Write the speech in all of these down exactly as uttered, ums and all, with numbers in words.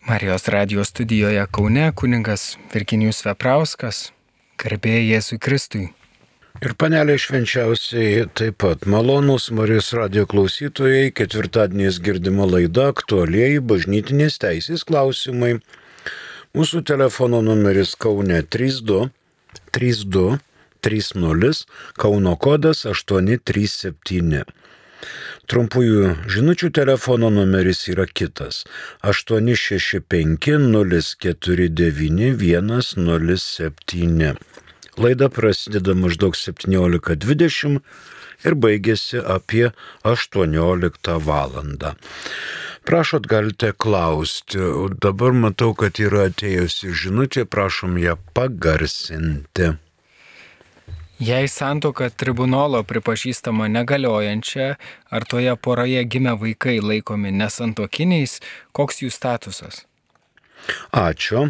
Marijos radijos studijoje Kaune kunigas Virginijus Veprauskas, garbė Jėzui Kristui. Ir panelė švenčiausiai taip pat malonūs Marijos radijo klausytojai, ketvirtadieniais girdima laida aktualieji bažnytinės teisės klausimai. Mūsų telefono numeris Kaune trys du trys du trys nulis, Kauno kodas aštuoni trys septyni. Trumpųjų žinučių telefono numeris yra kitas - aštuoni šeši penki nulis keturi devyni vienas nulis septyni. Laida prasideda maždaug septyniolika dvidešimt ir baigėsi apie aštuonioliktą valandą. Prašot, galite klausti. O dabar matau, kad yra atėjusi žinutė, prašom ją pagarsinti. Jei santuoka tribunolo pripažįstama negaliojančia, ar toje poroje gimę vaikai laikomi nesantuokiniais, koks jų statusas? Ačiū.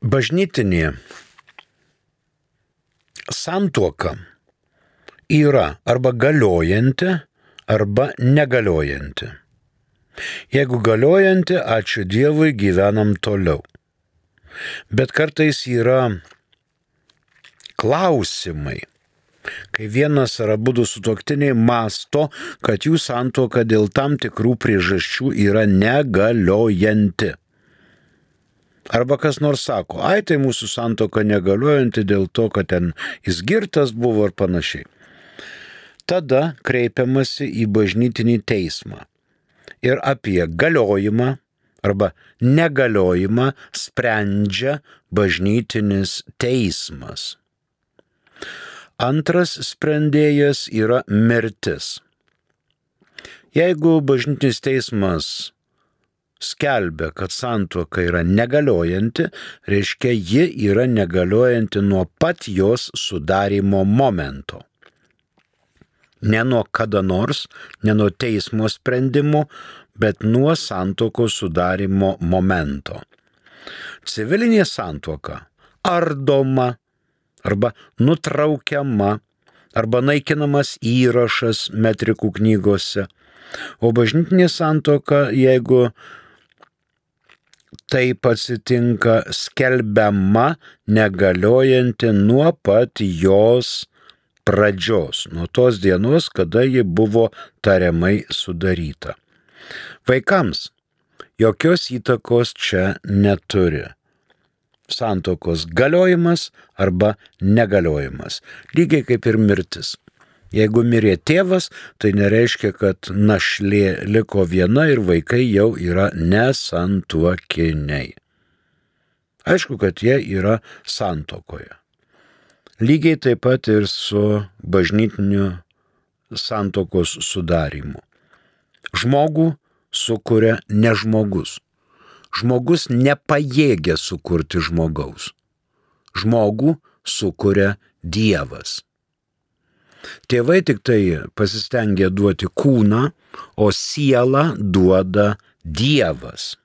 Bažnytinė santuoka yra arba galiojanti, arba negaliojanti. Jeigu galiojanti, ačiū Dievui, gyvenam toliau. Bet kartais yra klausimai, kai vienas ar abudu sutuoktiniai mąsto, kad jų santuoka dėl tam tikrų priežasčių yra negaliojanti. Arba kas nors sako, ai tai mūsų santuoka negaliojanti dėl to, kad ten jis girtas buvo ir panašiai. Tada kreipiamasi į bažnytinį teismą ir apie galiojimą arba negaliojimą sprendžia bažnytinis teismas. Antras sprendėjas yra mirtis. Jeigu bažnytinis teismas skelbia, kad santuoka yra negaliojanti, reiškia, ji yra negaliojanti nuo pat jos sudarymo momento. Ne nuo kada nors, ne nuo teismo sprendimo, bet nuo santuokos sudarymo momento. Civilinė santuoka ardoma, arba nutraukiama, arba naikinamas įrašas metrikų knygose. O bažnytinė santuoka, jeigu taip atsitinka, skelbiama negaliojanti nuo pat jos pradžios, nuo tos dienos, kada ji buvo tariamai sudaryta. Vaikams jokios įtakos čia neturi. Santuokos galiojimas arba negaliojimas. Lygiai kaip ir mirtis. Jeigu mirė tėvas, tai nereiškia, kad našlė liko viena ir vaikai jau yra nesantuokiniai. Aišku, kad jie yra santuokoje. Lygiai taip pat ir su bažnytiniu santuokos sudarymu. Žmogų sukuria ne žmogus. Žmogus nepajėgia sukurti žmogaus. Žmogų sukuria Dievas. Tėvai tik tai pasistengia duoti kūną, o sielą duoda Dievas.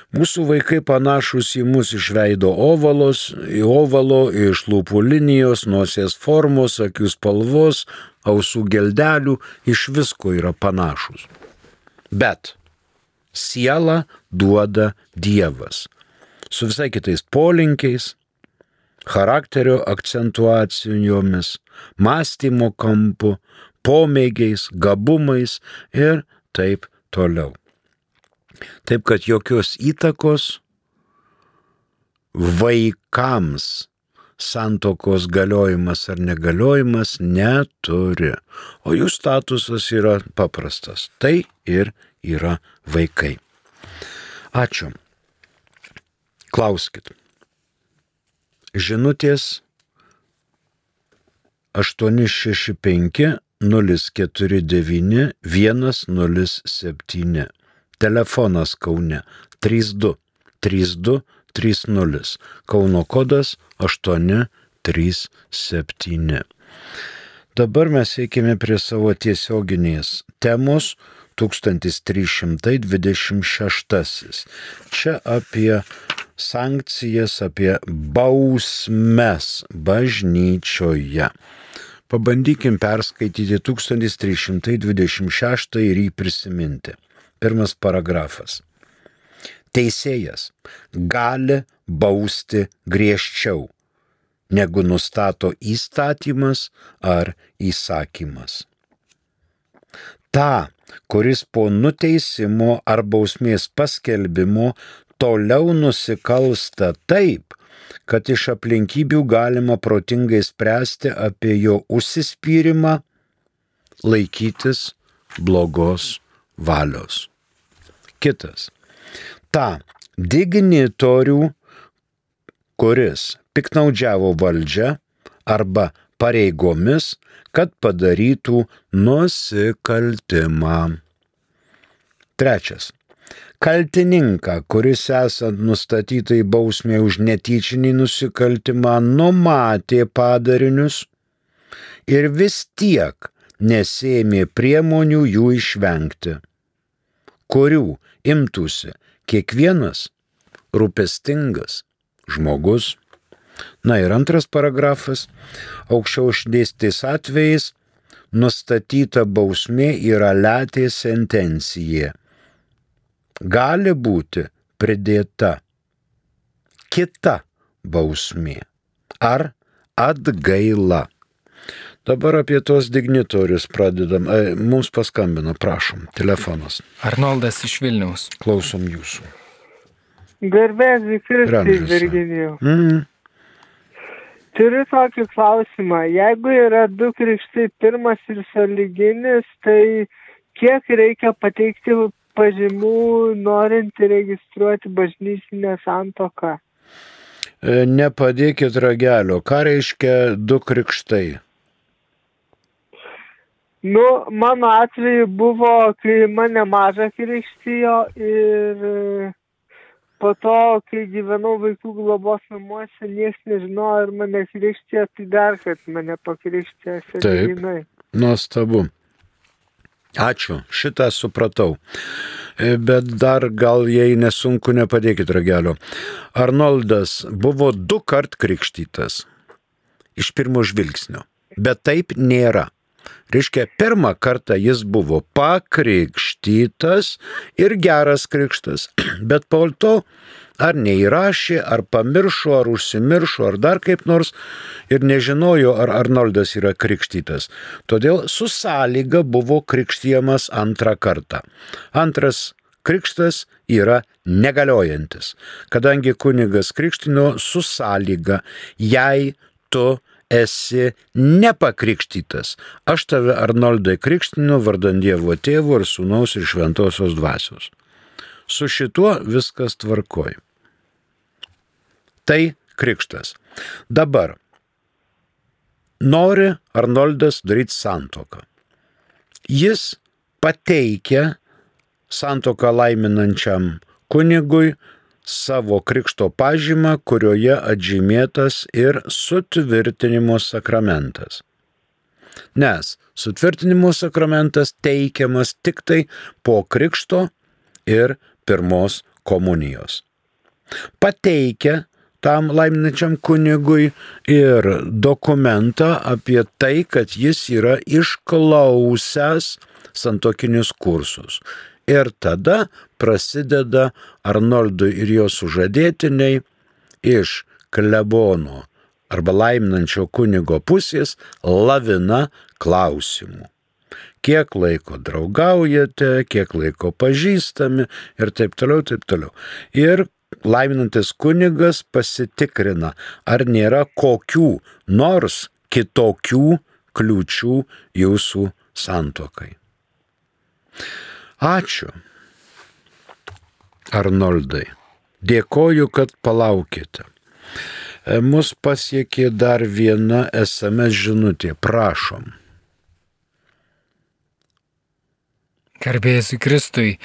Mūsų vaikai panašus į mus iš veido ovalos, į ovalo, iš lūpų linijos, nosies formos, akių spalvos, ausų geldelių, iš visko yra panašus. Bet sielą duoda Dievas, su visai kitais polinkiais, charakterio akcentuacijomis, mąstymo kampu, pomėgiais, gabumais ir taip toliau. Taip kad jokios įtakos vaikams santuokos galiojimas ar negaliojimas neturi, o jų statusas yra paprastas. Tai ir yra vaikai. Ačiū. Klauskit. Žinutės aštuoni šeši penki nulis keturi devyni vienas nulis septyni. Telefonas Kaune trys du trys du trys nulis. Kauno kodas aštuoni trys septyni. Dabar mes eikime prie savo tiesioginės temos tūkstantis trys šimtai dvidešimt šeštasis. Čia apie sankcijas, apie bausmes bažnyčioje. Pabandykim perskaityti tūkstantis trys šimtai dvidešimt šeštą ir jį prisiminti. Pirmas paragrafas. Teisėjas gali bausti griežčiau, negu nustato įstatymas ar įsakymas. Ta, kuris po nuteisimo ar bausmės paskelbimo toliau nusikalsta taip, kad iš aplinkybių galima protingai spręsti apie jo užsispyrimą, laikytis blogos valios. Kitas. Ta dignitorių, kuris piknaudžiavo valdžią arba pareigomis, kad padarytų nusikaltimą. Trečias. Kaltininką, kuris esant nustatytai bausmė už netyčinį nusikaltimą numatė padarinius ir vis tiek nesėmė priemonių jų išvengti, kurių imtųsi kiekvienas rūpestingas žmogus. Na ir antras paragrafas. Aukščiau išdėstytais atvejais nustatyta bausmė yra letė sentencija. Gali būti pridėta kita bausmė ar atgaila. Dabar apie tos dignitorius pradedam. E, mums paskambino, prašom, telefonas. Arnoldas iš Vilniaus. Klausom jūsų. Garbėsiu Kristui, Virginijau. Mm. Turiu tokį klausimą. Jeigu yra du krikštai, pirmas ir sąlyginis, tai kiek reikia pateikti pažymų, norint registruoti bažnytinę santuoką? E, nepadėkit ragelio. Ką reiškia du krikštai? Nu, mano atveju buvo, kai mane mažą krikštijo ir po to, kai gyvenau vaikų globos namuose, niekas nežinojo, ar mane krikštijo, tai dar, kad mane pakrikštijo sąlyginai. Taip, nuostabu. Ačiū, šitą supratau. Bet dar gal, jei nesunku, nepadėkit ragelio. Arnoldas buvo du kart krikštytas iš pirmo žvilgsnio, bet taip nėra. Reiškia, pirmą kartą jis buvo pakrikštytas ir geras krikštas, bet po to ar neįrašė, ar pamiršo, ar užsimiršo, ar dar kaip nors ir nežinojo, ar Arnoldas yra krikštytas. Todėl su sąlyga buvo krikštijamas antrą kartą. Antras krikštas yra negaliojantis, kadangi kunigas krikštino su sąlyga, jei tu esi nepakrikštytas. Aš tave, Arnoldai, krikštinu vardan Dievo Tėvo ir Sūnaus ir Šventosios Dvasios. Su šituo viskas tvarkoj. Tai krikštas. Dabar nori Arnoldas daryti santuoką. Jis pateikia santuoką laiminančiam kunigui savo krikšto pažymą, kurioje atžymėtas ir sutvirtinimo sakramentas. Nes sutvirtinimo sakramentas teikiamas tik tai po krikšto ir pirmos komunijos. Pateikia tam laiminančiam kunigui ir dokumentą apie tai, kad jis yra išklausęs santuokinius kursus. Ir tada prasideda Arnoldui ir jo sužadėtiniai iš klebono arba laiminančio kunigo pusės lavina klausimų. Kiek laiko draugaujate, kiek laiko pažįstami ir taip toliau, taip toliau. Ir laiminantis kunigas pasitikrina, ar nėra kokių nors kitokių kliūčių jūsų santuokai. Ačiū, Arnoldai. Dėkoju, kad palaukėte. Mus pasiekė dar viena es em es žinutė. Prašom. Garbėsiu Kristui.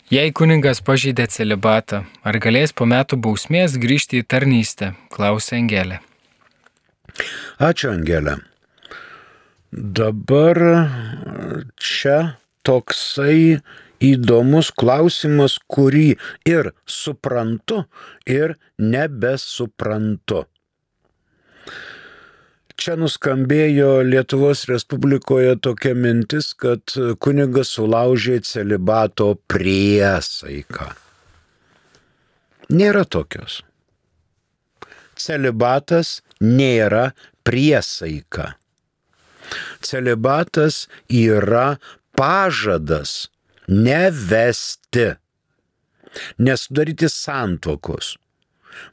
Jei kunigas pažeidė celibatą, ar galės po metų bausmės grįžti į tarnystę? Klausė Angelė. Ačiū, Angelė. Dabar čia toksai įdomus klausimas, kurį ir suprantu, ir nebesuprantu. Čia nuskambėjo Lietuvos Respublikoje tokia mintis, kad kunigas sulaužė celibato priesaiką. Nėra tokios. Celibatas nėra priesaika. Celibatas yra pažadas nevesti, nesudaryti santuokos.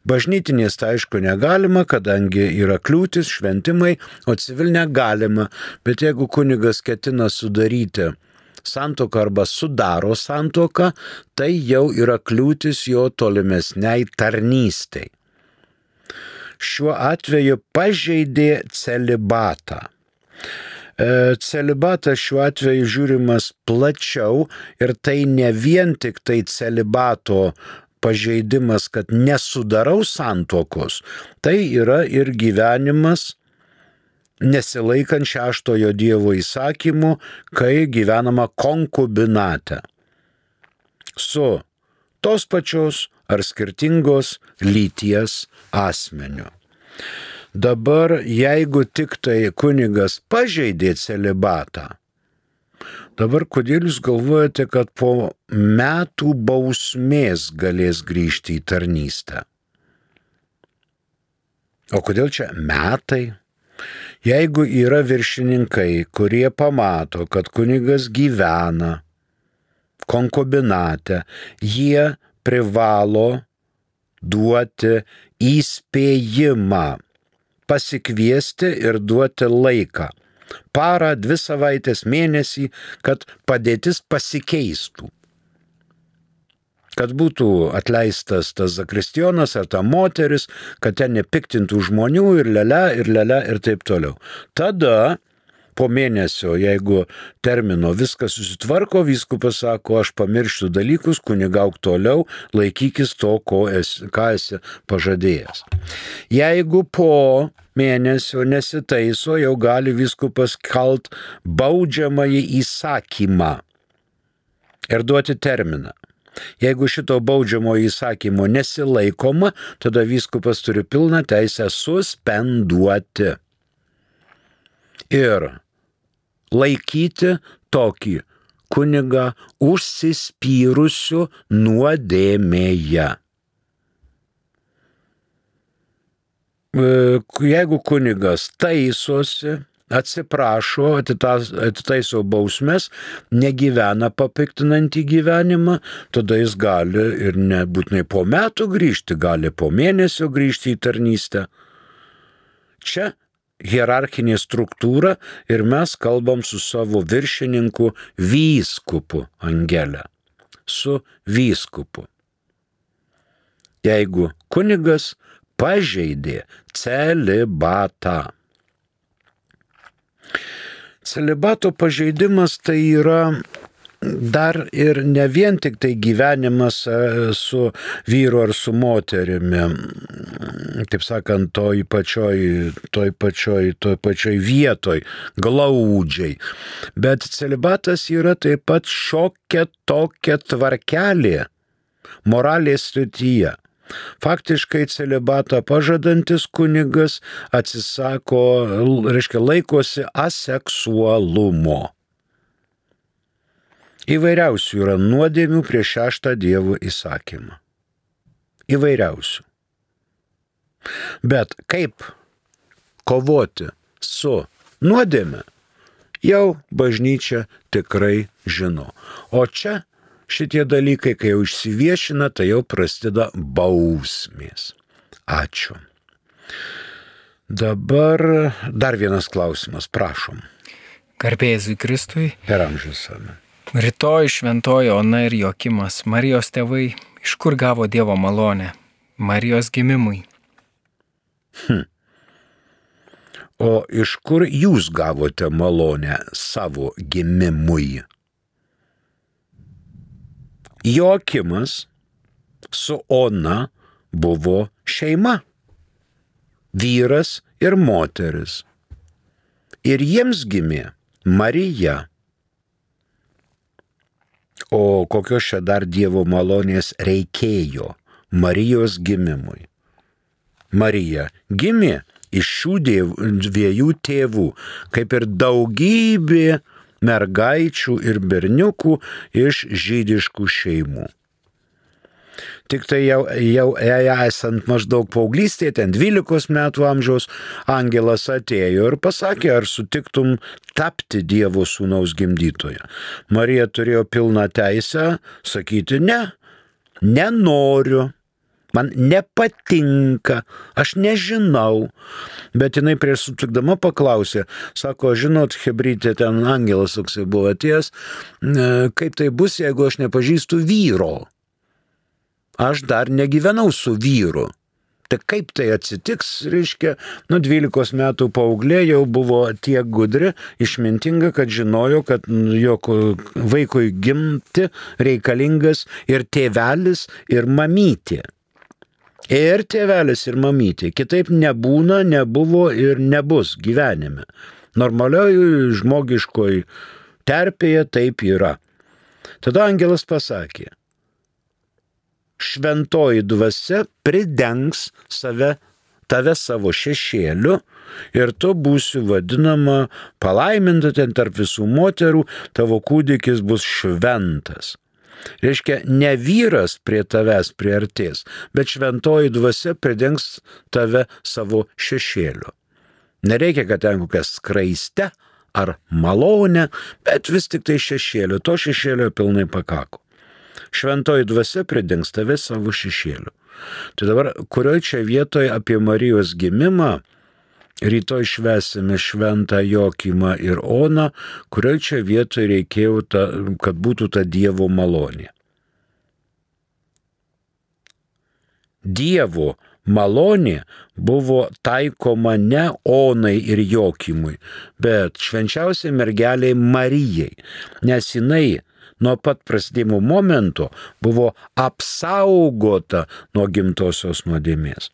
Bažnytinės tai aišku negalima, kadangi yra kliūtis, šventimai, o civilinė galima, bet jeigu kunigas ketina sudaryti santuoką arba sudaro santuoką, tai jau yra kliūtis jo tolimesniai tarnystei. Šiuo atveju pažeidė celibatą. Celibatas šiuo atveju žiūrimas plačiau ir tai ne vien tik tai celibato pažeidimas, kad nesudarau santuokos, tai yra ir gyvenimas nesilaikant šeštojo Dievo įsakymų, kai gyvenama konkubinate su tos pačios ar skirtingos lyties asmeniu. Dabar, jeigu tik tai kunigas pažeidė celibatą, dabar kodėl jūs galvojate, kad po metų bausmės galės grįžti į tarnystę? O kodėl čia metai? Jeigu yra viršininkai, kurie pamato, kad kunigas gyvena konkubinate, jie privalo duoti įspėjimą, pasikviesti ir duoti laiką. Parą, dvi savaitės, mėnesį, kad padėtis pasikeistų. Kad būtų atleistas tas zakristijonas ar ta moteris, kad ten nepiktintų žmonių ir lele, ir lele, ir taip toliau. Tada po mėnesio, jeigu termino viskas susitvarko, vyskupas sako, aš pamirštu dalykus, kunigauk toliau, laikykis to, ko esi, ką esi pažadėjęs. Jeigu po mėnesio nesitaiso, jau gali vyskupas kalt baudžiamąjį įsakymą ir duoti terminą. Jeigu šito baudžiamo įsakymo nesilaikoma, tada vyskupas turi pilną teisę suspenduoti ir laikyti tokį kunigą užsispyrusiu nuodėmėje. Jeigu kunigas taisosi, atsiprašo, atitaiso bausmes, negyvena papiktinantį gyvenimą, tada jis gali ir nebūtinai po metų grįžti, gali po mėnesio grįžti į tarnystę. Čia hierarchinė struktūra ir mes kalbam su savo viršininku vyskupu, Angele, su vyskupu. Jeigu kunigas pažeidė celibatą. Celibato pažeidimas tai yra dar ir ne vien tik tai gyvenimas su vyru ar su moterimi, taip sakant, toj pačioj, toj pačioj, toj pačioj vietoj, glaudžiai. Bet celibatas yra taip pat šiokia tokia tvarkelė moralės srityje. Faktiškai celibatą pažadantis kunigas atsisako, reiškia, laikosi aseksualumo. Įvairiausių yra nuodėmių prieš šeštą Dievo įsakymą. Įvairiausių. Bet kaip kovoti su nuodėme, jau bažnyčia tikrai žino. O čia šitie dalykai, kai jau išsiviešina, tai jau prasideda bausmės. Ačiū. Dabar dar vienas klausimas, prašom. Garbė Jėzui Kristui. Per amžius amen. Rytoj šventoji Ona ir Joakimas, Marijos tėvai, iš kur gavo Dievo malonę? Marijos gimimui. Hm. O iš kur jūs gavote malonę savo gimimui? Joakimas su Ona buvo šeima, vyras ir moteris. Ir jiems gimė Marija. O kokios čia dar Dievo malonės reikėjo Marijos gimimui? Marija gimė iš šių dviejų tėvų, kaip ir daugybė mergaičių ir berniukų iš žydiškų šeimų. Tik tai jau, jau esant maždaug paauglystėje, ten dvylikos metų amžiaus, angelas atėjo ir pasakė, ar sutiktum tapti Dievo sūnaus gimdytoja. Marija turėjo pilną teisę sakyti, ne, nenoriu. Man nepatinka, aš nežinau, bet jinai prieš sutikdama paklausė, sako, žinot, hebrytė, ten angelas toksai buvo atėjęs, kaip tai bus, jeigu aš nepažįstu vyro? Aš dar negyvenau su vyru. Tai kaip tai atsitiks, reiškia, nu dvylikos metų paauglė jau buvo tiek gudri, išmintinga, kad žinojo, kad jo vaikui gimti reikalingas ir tėvelis, ir mamytė. Ir tėvelis, ir mamytė. Kitaip nebūna, nebuvo ir nebus gyvenime. Normalioj žmogiškoj terpėje taip yra. Tada angelas pasakė, šventoji dvasia pridengs save, tave savo šešėliu ir tu būsi vadinama palaiminta ten tarp visų moterų, tavo kūdikis bus šventas. Reiškia, ne vyras prie tavęs priartės, bet šventoji dvasia pridengs tave savo šešėliu. Nereikia, kad ten kokia skraiste ar malonė, bet vis tik tai šešėliu, to šešėlio pilnai pakako. Šventoji dvasia pridengs tave savo šešėliu. Tai dabar, kurioje čia vietoje apie Marijos gimimą, rytoj švęsime šventą Jokimą ir Oną, kurioje čia vietoje reikėjo, ta, kad būtų ta Dievo malonė. Dievo malonė buvo taikoma ne Onai ir Jokimui, bet švenčiausiai mergeliai Marijai, nes jinai nuo pat prasidėjimo momento buvo apsaugota nuo gimtosios nuodėmės.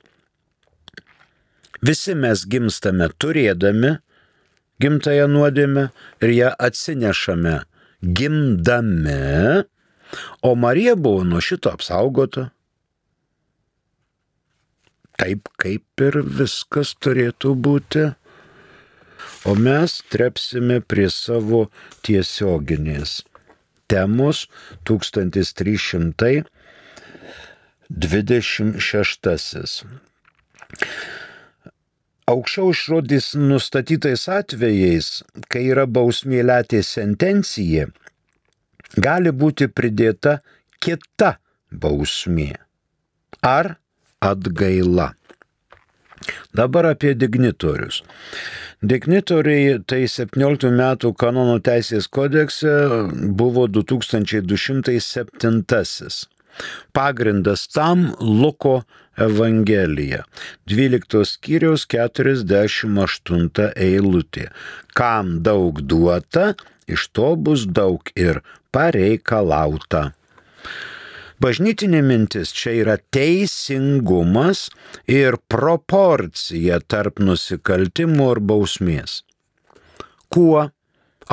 Visi mes gimstame turėdami gimtąją nuodėmę ir ją atsinešame gimdami, o Marija buvo nuo šito apsaugota. Taip kaip ir viskas turėtų būti. O mes trepsime prie savo tiesioginės temos tūkstantis trys šimtai dvidešimt šeštasis. Aukščiau žodis nustatytais atvejais, kai yra bausmė letės sentencija, gali būti pridėta kita bausmė ar atgaila. Dabar apie dignitorius. Dignitoriai tai septynioliktų metų kanonų teisės kodekse buvo du tūkstančiai du šimtai septintasis. Pagrindas tam Luko Evangelija, dvyliktos skyriaus keturiasdešimt aštunta eilutė. Kam daug duota, iš to bus daug ir pareikalauta. Bažnytinė mintis čia yra teisingumas ir proporcija tarp nusikaltimų ir bausmės. Kuo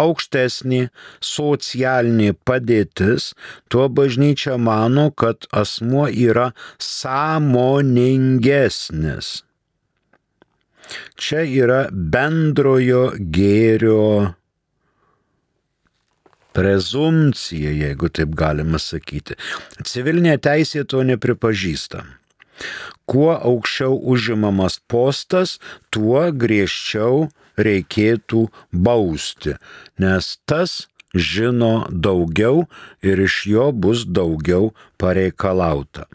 aukštesnė socialinė padėtis, tuo bažnyčia mano, kad asmuo yra sąmoningesnis. Čia yra bendrojo gėrio prezumcija, jeigu taip galima sakyti. Civilinė teisė to nepripažįsta. Kuo aukščiau užimamas postas, tuo griežčiau reikėtų bausti, nes tas žino daugiau ir iš jo bus daugiau pareikalauta.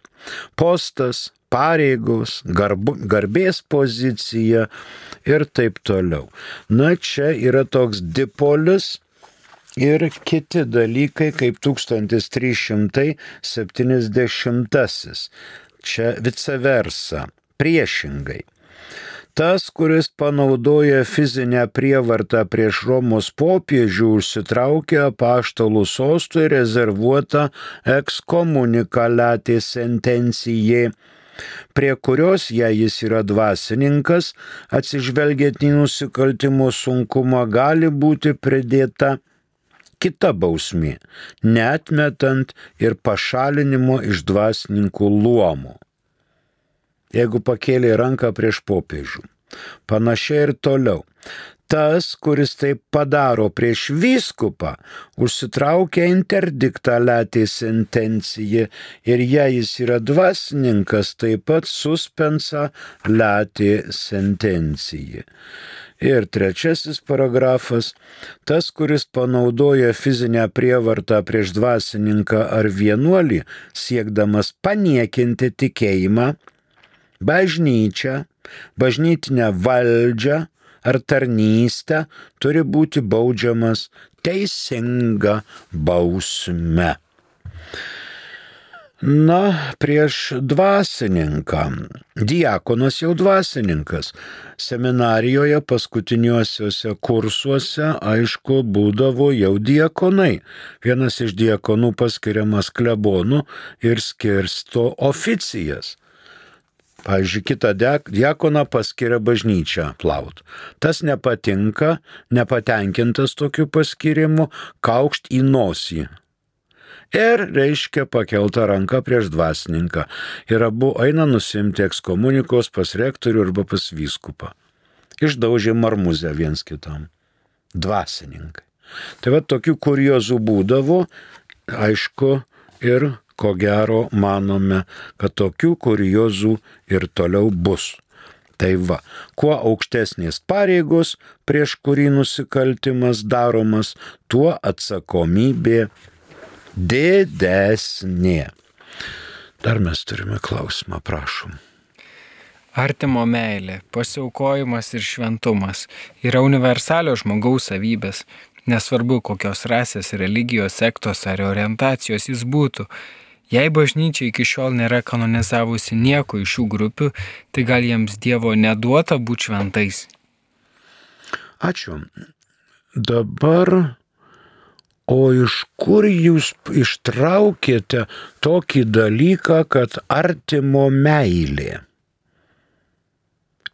Postas, pareigos, garbu, garbės pozicija ir taip toliau. Na, čia yra toks dipolis ir kiti dalykai kaip tūkstantis trys šimtai septyniasdešimtasis. Čia vice versa, priešingai. Tas, kuris panaudoja fizinę prievartą prieš Romos popiežių, užsitraukia apaštalų sostui rezervuotą ekskomunikaliatė sentencijai, prie kurios, jei jis yra dvasininkas, atsižvelgiant į nusikaltimo sunkumą, gali būti pridėta kita bausmė, neatmetant ir pašalinimo iš dvasininkų luomų. Jeigu pakėlė ranką prieš popiežių, Panašiai ir toliau. Tas, kuris taip padaro prieš vyskupą, užsitraukia interdiktą latė sentencija ir jei jis yra dvasininkas, taip pat suspensa latė sentencija. Ir trečiasis paragrafas. Tas, kuris panaudoja fizinę prievartą prieš dvasininką ar vienuolį, siekdamas paniekinti tikėjimą, bažnyčią, bažnytinę valdžią ar tarnystę, turi būti baudžiamas teisinga bausme. Na, prieš dvasininką. Diakonas jau dvasininkas. Seminarijoje paskutiniuosiuose kursuose, aišku, būdavo jau diakonai. Vienas iš diakonų paskiriamas klebonu ir skirsto oficijas. Pavyzdžiui, kitą diakoną paskiria bažnyčią plaut. Tas nepatinka, nepatenkintas tokiu paskirimu, kaukšt į nosį. Ir reiškia pakeltą ranką prieš dvasininką. Ir abu eina nusimti ekskomunikos pas rektorių arba pas vyskupą. Išdaužė marmuzę viens kitam. Dvasininkai. Tai va tokių kuriozų būdavo, aišku, ir ko gero manome, kad tokių kuriozų ir toliau bus. Tai va, kuo aukštesnės pareigos, prieš kurį nusikaltimas daromas, tuo atsakomybė didesnė. Dar mes turime klausimą, prašom. Artimo meilė, pasiaukojimas ir šventumas yra universalios žmogaus savybės, nesvarbu kokios rasės, religijos, sektos ar orientacijos jis būtų. Jei bažnyčia iki šiol nėra kanonizavusi nieko iš šių grupių, tai gal jiems Dievo neduota būti šventais? Ačiū. Dabar, o iš kur jūs ištraukėte tokį dalyką, kad artimo meilė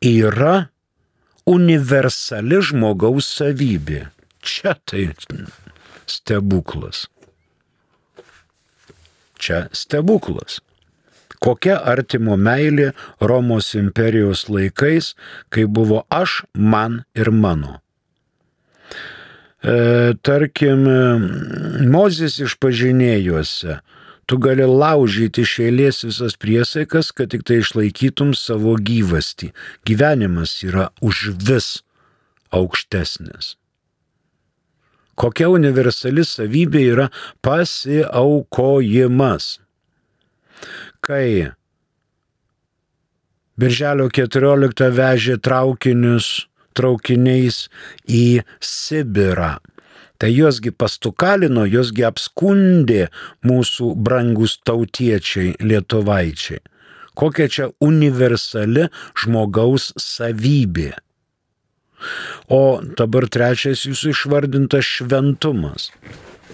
yra universali žmogaus savybė? Čia tai stebuklas. Čia stebuklas. Kokia artimo meilė Romos imperijos laikais, kai buvo aš, man ir mano. E, tarkim, Mozės išpažinėjuose tu gali laužyti iš eilės visas priesaikas, kad tik tai išlaikytum savo gyvastį. Gyvenimas yra už vis aukštesnis. Kokia universali savybė yra pasiaukojimas. Kai Birželio keturioliktą vežė traukinius traukiniais į Sibirą, tai juosgi pastukalino, juosgi apskundė mūsų brangus tautiečiai lietuvaičiai. Kokia čia universali žmogaus savybė. O dabar trečias jūsų išvardintas šventumas.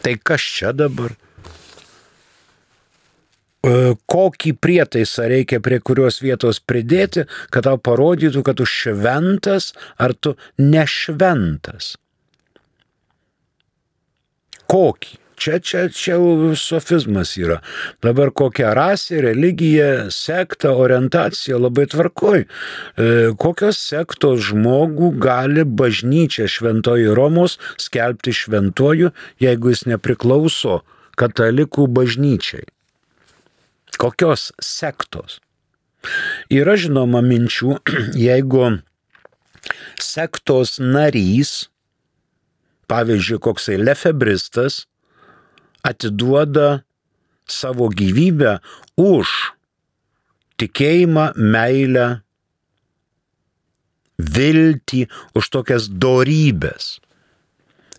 Tai kas čia dabar? Kokį prietaisą reikia prie kurios vietos pridėti, kad tau parodytų, kad tu šventas ar tu nešventas? Kokį? Čia, čia, čia sofizmas yra. Dabar kokia rasė, religija, sekta, orientacija labai tvarkoj. E, kokios sektos žmogų gali bažnyčia šventoji Romos skelbti šventoju, jeigu jis nepriklauso katalikų bažnyčiai? Kokios sektos? Yra žinoma minčių, jeigu sektos narys, pavyzdžiui, koksai lefebristas, atiduoda savo gyvybę už tikėjimą, meilę, viltį, už tokias dorybės.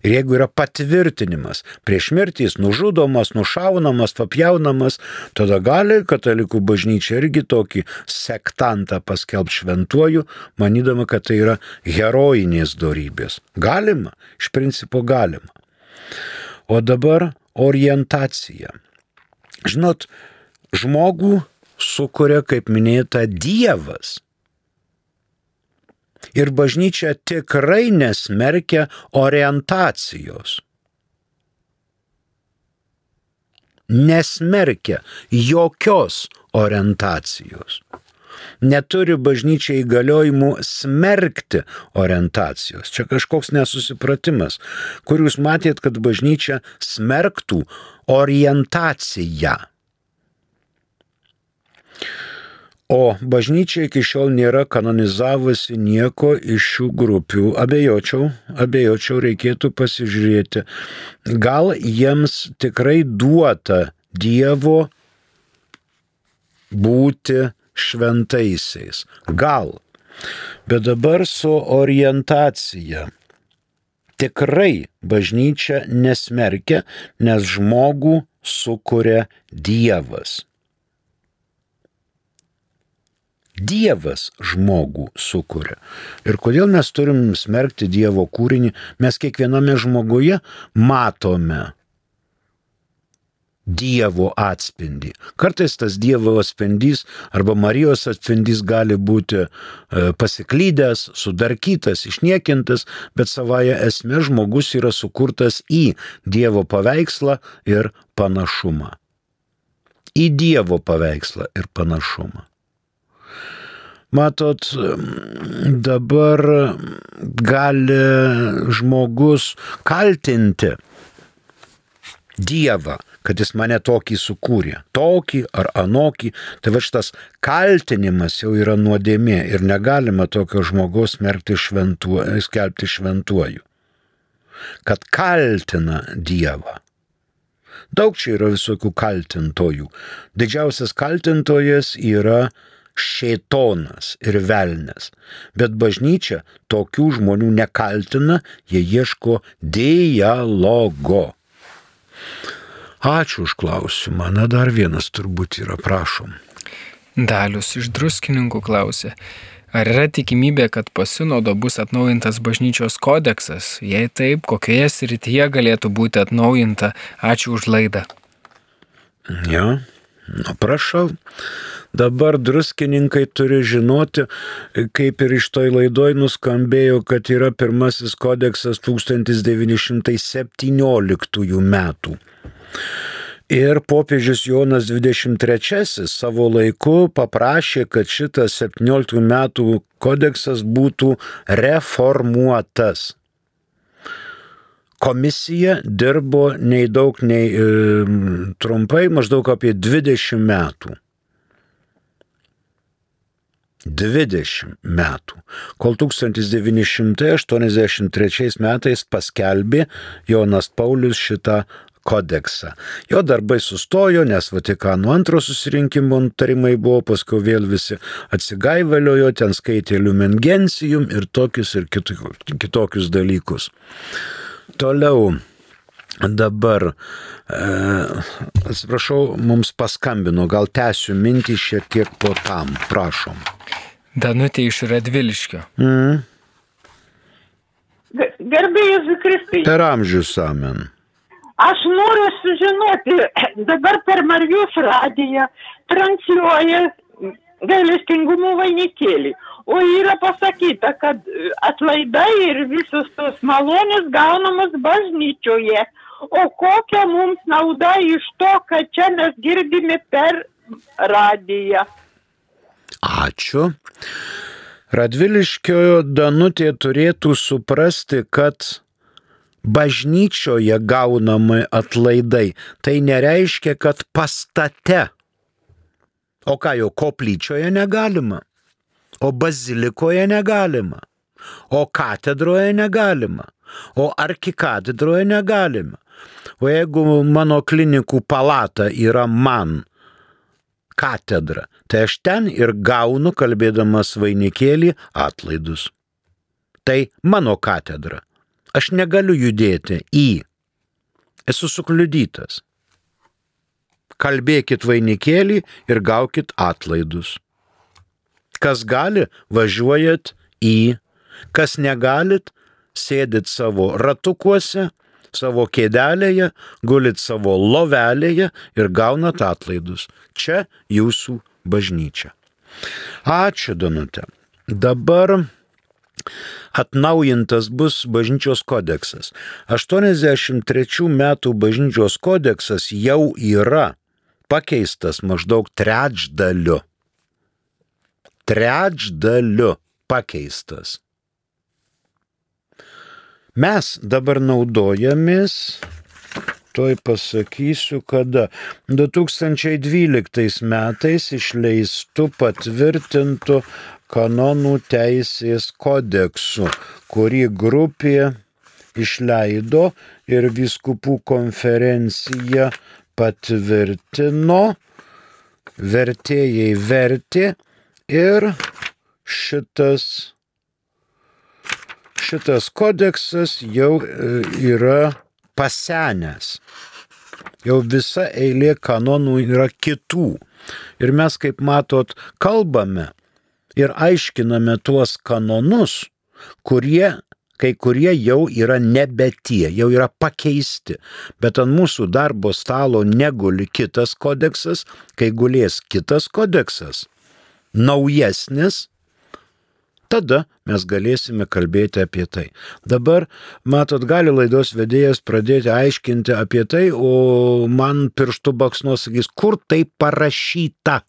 Ir jeigu yra patvirtinimas, prieš mirtį jis nužudomas, nušaunamas, papjaunamas, tada gali katalikų bažnyčia irgi tokį sektantą paskelbti šventuoju, manydama, kad tai yra herojinės dorybės. Galima, iš principo galima. O dabar orientacija. Žinot, žmogų sukuria, kaip minėta, Dievas. Ir bažnyčia tikrai nesmerkia orientacijos. Nesmerkia jokios orientacijos. neturi bažnyčia įgaliojimų smerkti orientacijos. Čia kažkoks nesusipratimas, kur jūs matėt, kad bažnyčia smerktų orientaciją. O bažnyčia iki šiol nėra kanonizavusi nieko iš šių grupių. Abejočiau, abejočiau, reikėtų pasižiūrėti. Gal jiems tikrai duota Dievo būti šventaisiais. Gal. Bet dabar su orientacija. Tikrai bažnyčia nesmerkia, nes žmogų sukuria Dievas. Dievas žmogų sukuria. Ir kodėl mes turim smerkti Dievo kūrinį? Mes kiekviename žmoguje matome Dievo atspindį. Kartais tas Dievo atspindys arba Marijos atspindys gali būti pasiklydęs, sudarkytas, išniekintas, bet savaja esmė žmogus yra sukurtas į Dievo paveikslą ir panašumą. Į Dievo paveikslą ir panašumą. Matot, dabar gali žmogus kaltinti Dievą, kad jis mane tokį sukūrė, tokį ar anokį. Tai va šitas kaltinimas jau yra nuodėmė ir negalima tokio žmogaus smerkti šventuoju, skelbti šventuoju. Kad kaltina Dievą. Daug čia yra visokių kaltintojų. Didžiausias kaltintojas yra šėtonas ir velnias. Bet bažnyčia tokių žmonių nekaltina, jie ieško dialogo. Ačiū už klausimą. Na, dar vienas turbūt yra, prašom. Dalius iš Druskininkų klausė, ar yra tikimybė, kad po sinodo bus atnaujintas bažnyčios kodeksas? Jei taip, kokioje srityje galėtų būti atnaujinta? Ačiū už laidą. Ja, nu prašau. Dabar druskininkai turi žinoti, kaip ir iš toj laidoj nuskambėjo, kad yra pirmasis kodeksas tūkstantis devyni šimtai septynioliktųjų metų. Ir popiežius Jonas dvidešimt trečiasis savo laiku paprašė, kad šitas septynioliktų metų kodeksas būtų reformuotas. Komisija dirbo nei daug, nei e, trumpai, maždaug apie dvidešimt metų. dvidešimt metų, kol tūkstantis devyni šimtai aštuoniasdešimt trečiais metais paskelbė Jonas Paulius šitą kodeksą. Jo darbai sustojo, nes Vatikano antro susirinkimo nutarimai buvo, paskui vėl visi atsigaiveliojo, ten skaitė Lumen Gentium ir tokius ir kitokius dalykus. Toliau. Dabar, e, atsiprašau, mums paskambino, gal tęsiu mintį šiek tiek po tam, prašom. Danutė iš Radviliškio. Mm. Garbė Jėzui Kristui. Per amžius amen. Aš noriu sužinoti, dabar per Marijos radiją transliuoja gailestingumo vainikėlį. O yra pasakyta, kad atlaidai ir visos tos malonės gaunamos bažnyčioje. O kokia mums nauda iš to, kad čia mes girdime per radiją? Ačiū. Radviliškio Danutė turėtų suprasti, kad bažnyčioje gaunami atlaidai. Tai nereiškia, kad pastate. O ką jau, koplyčioje negalima? O bazilikoje negalima? O katedroje negalima? O arkikatedroje negalima? O jeigu mano klinikų palata yra man katedra, tai aš ten ir gaunu, kalbėdamas vainikėlį, atlaidus. Tai mano katedra. Aš negaliu judėti į. Esu sukliudytas. Kalbėkit vainikėlį ir gaukit atlaidus. Kas gali, važiuojat į. Kas negalit, sėdit savo ratukuose, savo kėdelėje, gulit savo lovelėje ir gaunat atlaidus. Čia jūsų bažnyčia. Ačiū, Danutė. Dabar atnaujintas bus bažnyčios kodeksas. aštuoniasdešimt trečių metų bažnyčios kodeksas jau yra pakeistas maždaug trečdaliu. trečdaliu pakeistas. Mes dabar naudojamės, tuoj pasakysiu, kada du tūkstančiai dvyliktais metais išleistu patvirtintu kanonų teisės kodeksu, kurį grupė išleido ir vyskupų konferencija patvirtino, vertėjai vertė ir šitas, šitas kodeksas jau yra pasenęs. Jau visa eilė kanonų yra kitų. Ir mes, kaip matot, kalbame ir aiškiname tuos kanonus, kurie, kai kurie jau yra nebe tie, jau yra pakeisti. Bet ant mūsų darbo stalo neguli kitas kodeksas, kai gulės kitas kodeksas, naujesnis, tada mes galėsime kalbėti apie tai. Dabar, matot, gali laidos vedėjas pradėti aiškinti apie tai, o man pirštų baksnuos sakys, kur tai parašyta.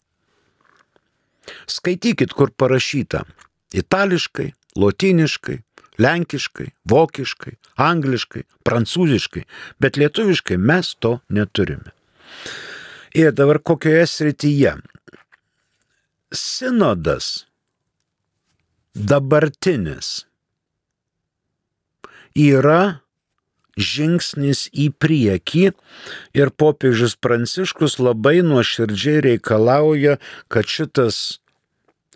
Skaitykit, kur parašyta. Itališkai, lotyniškai, lenkiškai, vokiškai, angliškai, prancūziškai, bet lietuviškai mes to neturime. Ir dabar kokioje srityje? Sinodas dabartinis yra žingsnis į priekį ir popiežius Pranciškus labai nuoširdžiai reikalauja, kad šitas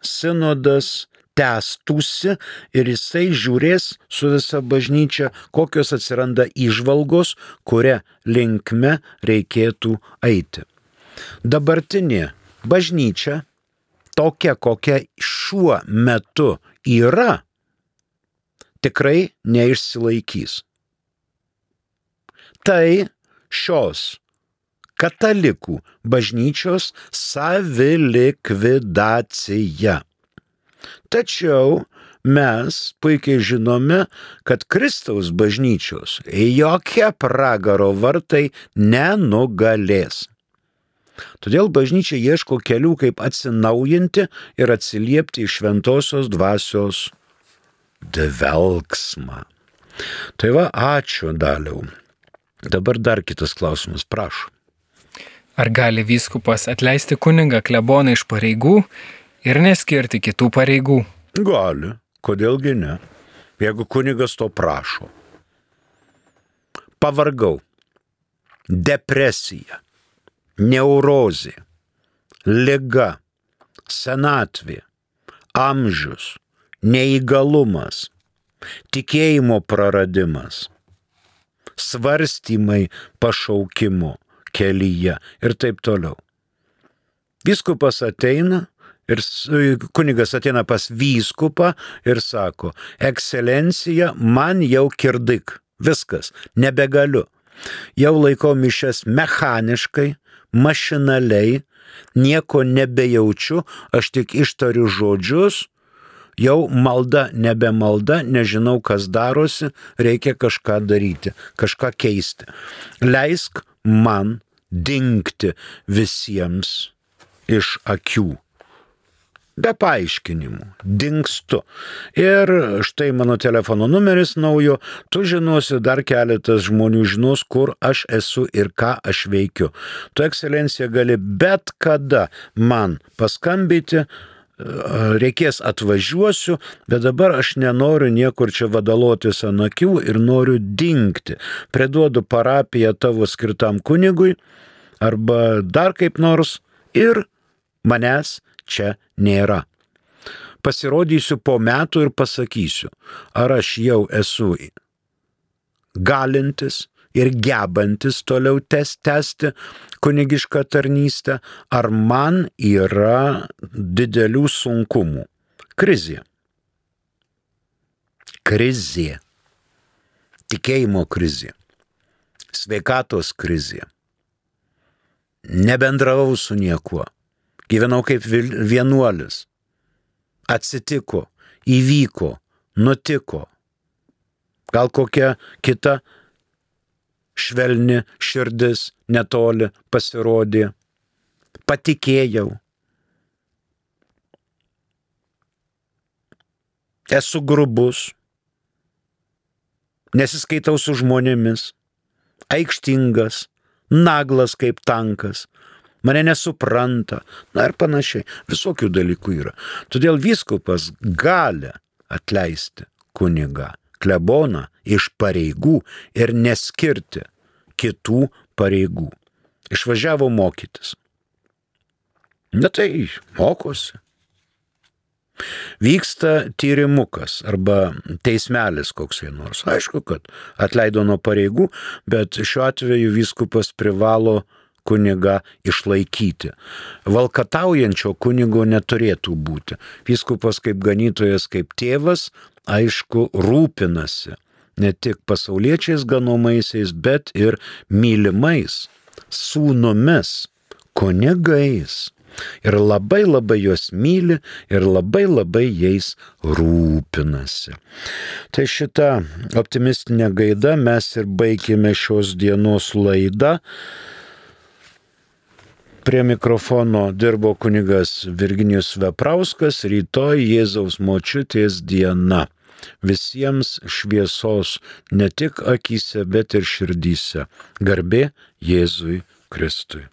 sinodas tęstųsi ir jisai žiūrės su visa bažnyčia, kokios atsiranda įžvalgos, kuria linkme reikėtų eiti. Dabartinė bažnyčia, tokia, kokia šiuo metu yra, tikrai neišsilaikys. Tai šios katalikų bažnyčios savilikvidacija. Tačiau mes puikiai žinome, kad Kristaus bažnyčios jokie pragaro vartai nenugalės. Todėl bažnyčia ieško kelių, kaip atsinaujinti ir atsiliepti į šventosios dvasios dvelksmą. Tai va, ačiū, Daliau. Dabar dar kitas klausimas, prašau. Ar gali vyskupas atleisti kunigą kleboną iš pareigų ir neskirti kitų pareigų? Gali, kodėlgi ne, jeigu kunigas to prašo. Pavargau, depresija, neurozė, liga, senatvė, amžius, neįgalumas, tikėjimo praradimas, svarstymai pašaukimo kelyje ir taip toliau. Vyskupas ateina ir kunigas ateina pas vyskupą ir sako, ekscelencija, man jau kirdik, viskas, nebegaliu. Jau laikau mišias mechaniškai, mašinaliai, nieko nebejaučiu, aš tik ištariu žodžius, jau malda nebe malda, nežinau, kas darosi, reikia kažką daryti, kažką keisti. Leisk man dingti visiems iš akių. Be paaiškinimų, dingstu. Ir štai mano telefono numeris naujo, tu žinosi, dar keletas žmonių žinos, kur aš esu ir ką aš veikiu. Tu, ekscelencija, gali bet kada man paskambyti, reikės atvažiuosiu, bet dabar aš nenoriu niekur čia vadalotis ant akių ir noriu dingti. Priduodu parapiją tavo skirtam kunigui arba dar kaip nors ir manęs čia nėra. Pasirodysiu po metų ir pasakysiu, ar aš jau esu galintis ir gebantis toliau tęsti kunigišką tarnystę, ar man yra didelių sunkumų. Krizė. Krizė. Tikėjimo krizė. Sveikatos krizė. Nebendravau su niekuo. Gyvenau kaip vienuolis. Atsitiko, įvyko, nutiko. Gal kokia kita švelni širdis netoli pasirodė. Patikėjau. esu grubus, nesiskaitau su žmonėmis, aikštingas, naglas kaip tankas, mane nesupranta, na ir panašiai. Visokių dalykų yra. Todėl vyskupas gali atleisti kunigą, kleboną iš pareigų ir neskirti kitų pareigų. Išvažiavo mokytis. Na tai mokosi. Vyksta tyrimukas arba teismelis koksai nors. Aišku, kad atleido nuo pareigų, bet šiuo atveju vyskupas privalo kunigą išlaikyti. Valkataujančio kunigo neturėtų būti. Vyskupas kaip ganytojas, kaip tėvas, aišku, rūpinasi ne tik pasauliečiais ganomaisiais, bet ir mylimais sūnumis, kunigais. Ir labai labai juos myli ir labai labai jais rūpinasi. Tai šitą optimistinę gaidą mes ir baigėme šios dienos laidą. Prie mikrofono dirbo kunigas Virginijus Veprauskas. Rytoj Jėzaus močiutės diena. Visiems šviesos ne tik akyse, bet ir širdyse. Garbė Jėzui Kristui.